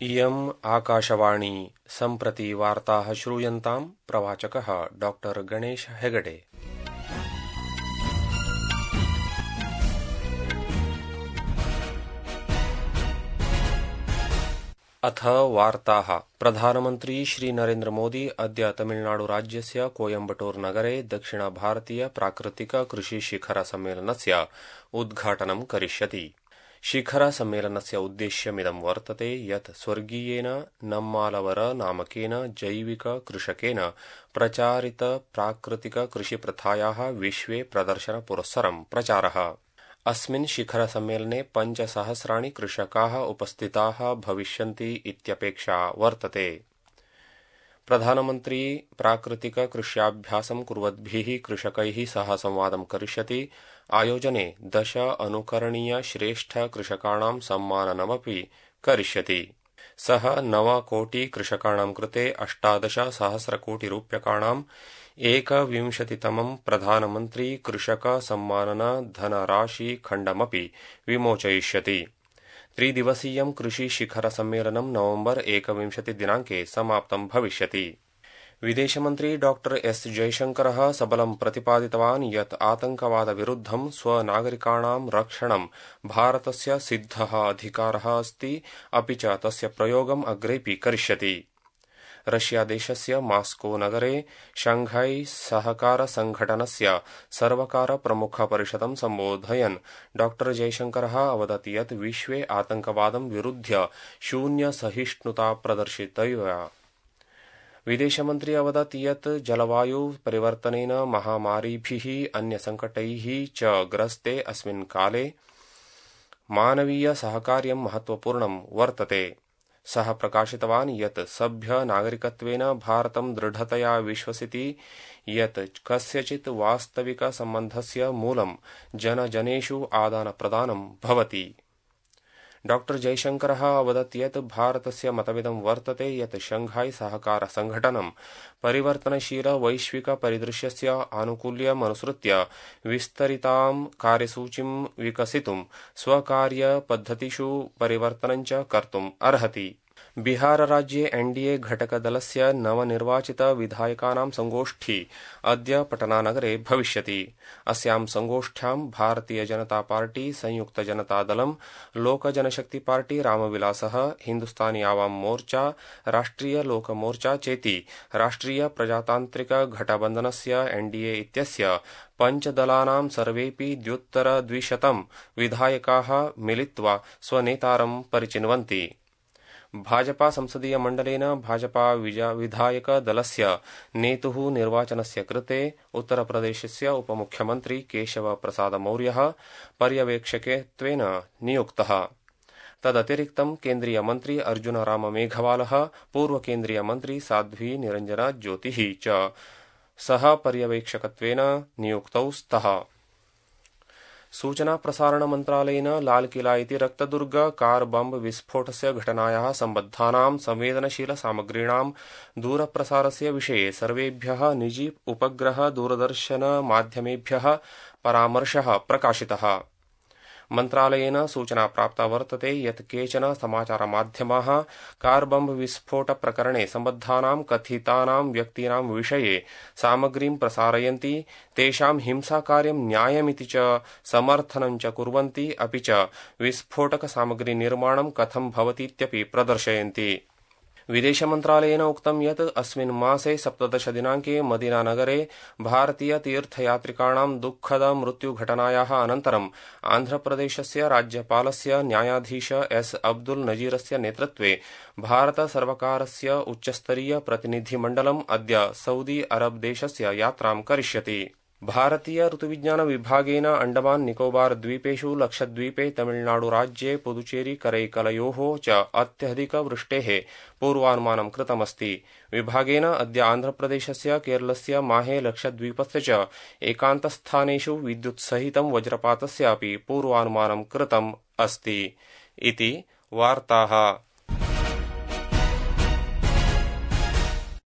इयम् आकाशवाणी सम्प्रति वार्ताः श्रूयन्ताम् प्रवाचकः डॉक्टर गणेश हेगडे। अथ वार्ताः। प्रधानमन्त्री श्री नरेन्द्र मोदी अद्य तमिलनाडुराज्यस्य कोयम्बटूर नगरे दक्षिणभारतीय प्राकृतिक कृषि शिखर सम्मेलनस्य उद्घाटनं करिष्यति। शिखर सम्मेलनस्य उद्देश्यमिदं वर्तते यत् स्वर्गीयेन नम्मालवर नामकेन जैविक कृषकेन प्रचारित प्राकृतिक कृषिप्रथायाः विश्वे प्रदर्शनपुरस्सरं प्रचारः। अस्मिन् शिखर सम्मेलने 5,000 कृषकाः उपस्थिताः भविष्यन्ति इत्यपेक्षा वर्तते। प्रधानमन्त्री प्राकृतिक कृष्याभ्यासं कुर्वद्भिः कृषकैः सह संवादं करिष्यति। आयोजने 10 अनुकरणीय श्रेष्ठ कृषकाणां सम्माननमपि करिष्यति। सः 9 कोटि कृषकाणां कृते 18,000 कोटि रूप्यकाणां 21तमं प्रधानमन्त्री कृषक सम्मानन धनराशि खण्डमपि विमोचयिष्यति। 3 दिवसीयं कृषि शिखर सम्मेलनं नवंबर 21 दिनाङ्के समाप्तं भविष्यति। विदेशमन्त्री डॉक्टर एस जयशंकरः सबलं प्रतिपादितवान् यत् आतंकवादविरुद्धं स्वनागरिकाणां रक्षणं भारतस्य सिद्धः अधिकारः अस्ति, अपि च तस्य प्रयोगम् अग्रेपि करिष्यति। रशियादेशस्य मास्को नगरे शंघाई सहकार संघटनस्य सर्वकार प्रमुख परिषदं सम्बोधयन् डॉक्टर जयशंकरः अवदत् यत् विश्वे आतंकवादं विरुध्य शून्य सहिष्णुता प्रदर्शितव्या। विदेशमन्त्री अवदत् यत् जलवायु परिवर्तनेन महामारीभिः अन्यसङ्कटैः च ग्रस्ते अस्मिन् काले मानवीय सहकार्यं महत्वपूर्णं वर्तते। सः प्रकाशितवान् यत् सभ्य नागरिकत्वेन भारतं दृढतया विश्वसिति यत् कस्यचित् वास्तविक सम्बन्धस्य मूलं जनजनेषु आदानप्रदानं भवति। डॉक्टर जयशंकरः अवदत् यत् भारतस्य मतमिदं वर्तते यत् शंघाई सहकार संघटनं परिवर्तनशील वैश्विक परिदृश्यस्य आनुकूल्यमनुसृत्य विस्तरितां कार्यसूचिं विकसितुं स्वकार्यपद्धतिषु परिवर्तनं च कर्तुम् अर्हति। बिहार राज्ये एनडीए घटकदलस्य नवनिर्वाचित विधायकानां संगोष्ठी अद्य पटनानगरे भविष्यति। अस्यां संगोष्ठ्यां भारतीय जनता पार्टी, संयुक्त जनता दलं, लोक जनशक्ति पार्टी रामविलासः, हिन्दुस्तानी आवाम मोर्चा, राष्ट्रिय लोक मोर्चा चेति राष्ट्रिय प्रजातान्त्रिक घटबन्धनस्य एनडीए इत्यस्य 5 दलानां सर्वेपि 200 विधायकाः मिलित्वा स्वनेतारं परिचिन्वन्ति। भाजपा संसदीय मण्डलेन भाजपा विधायक दलस्य नेतुः निर्वाचनस्य कृते उत्तरप्रदेशस्य उपमुख्यमन्त्री केशव प्रसाद मौर्यः पर्यवेक्षकत्वेन नियुक्तः। तदतिरिक्तं केन्द्रीय मन्त्री अर्जुन राम मेघवालः, पूर्व केन्द्रीय मन्त्री साध्वी निरञ्जना ज्योतिः च सह पर्यवेक्षकत्वेन नियुक्तौ स्तः। सूचना प्रसारण मन्त्रालयेन लालकिला इति रक्तदुर्ग कार बम्ब विस्फोटस्य घटनायाः सम्बद्धानां संवेदनशील सामग्रीणां दूरप्रसारस्य विषये सर्वेभ्यः निजी उपग्रह दूरदर्शन माध्यमेभ्यः परामर्शः प्रकाशितः। मन्त्रालयेन सूचना प्राप्ता वर्तते यत् केचन समाचारमाध्यमाः कार बम्ब विस्फोट प्रकरणे सम्बद्धानां कथितानां व्यक्तीनां विषये सामग्रीं प्रसारयन्ति, तेषां हिंसाकार्यं न्यायमिति च समर्थनं च कुर्वन्ति, अपि च विस्फोटक सामग्री निर्माणं कथं भवतीत्यपि प्रदर्शयन्ति। विदेशमन्त्रालयेन उक्तं यत् अस्मिन् मासे 17 दिनाङ्के मदीनानगरे भारतीय तीर्थयात्रिकाणां दुःखद मृत्युघटनायाः अनन्तरं आन्ध्रप्रदेशस्य राज्यपालस्य न्यायाधीश एस अब्दुल नजीरस्य नेतृत्वे भारत सर्वकारस्य उच्चस्तरीय प्रतिनिधिमण्डलम् अद्य सऊदी अरब देशस्य यात्रां करिष्यति। भारतीय ऋतुविज्ञान विभागेन अंडमान निकोबार द्वीपेषु, लक्षद्वीपे, तमिलनाडुराज्ये, पुदुचेरी करैकलयोः च अत्यधिकवृष्टेः पूर्वानुमानं कृतमस्ति। विभागेन अद्य आन्ध्रप्रदेशस्य, केरलस्य, माहे, लक्षद्वीपस्य च एकान्तस्थानेषु विद्युत्सहितं वज्रपातस्य अपि पूर्वानुमानं कृतम् अस्ति। इति वार्ताः।